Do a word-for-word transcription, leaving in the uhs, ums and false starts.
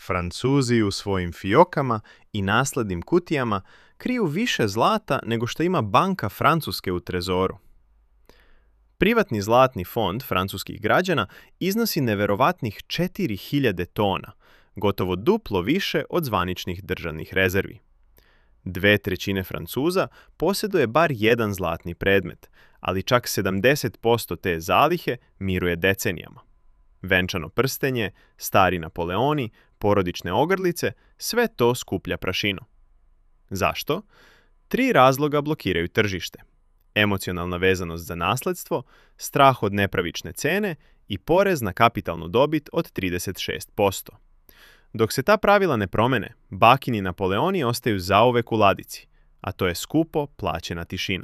Francuzi u svojim fiokama i naslednim kutijama kriju više zlata nego što ima banka Francuske u trezoru. Privatni zlatni fond francuskih građana iznosi neverovatnih četiri hiljade tona, gotovo duplo više od zvaničnih državnih rezervi. Dve trećine Francuza posjeduje bar jedan zlatni predmet, ali čak sedamdeset posto te zalihe miruje decenijama. Venčano prstenje, stari Napoleoni, porodične ogrlice, sve to skuplja prašinu. Zašto? Tri razloga blokiraju tržište. Emocionalna vezanost za nasledstvo, strah od nepravične cene i porez na kapitalnu dobit od trideset šest posto. Dok se ta pravila ne promene, bakini Napoleoni ostaju zauvek u ladici, a to je skupo plaćena tišina.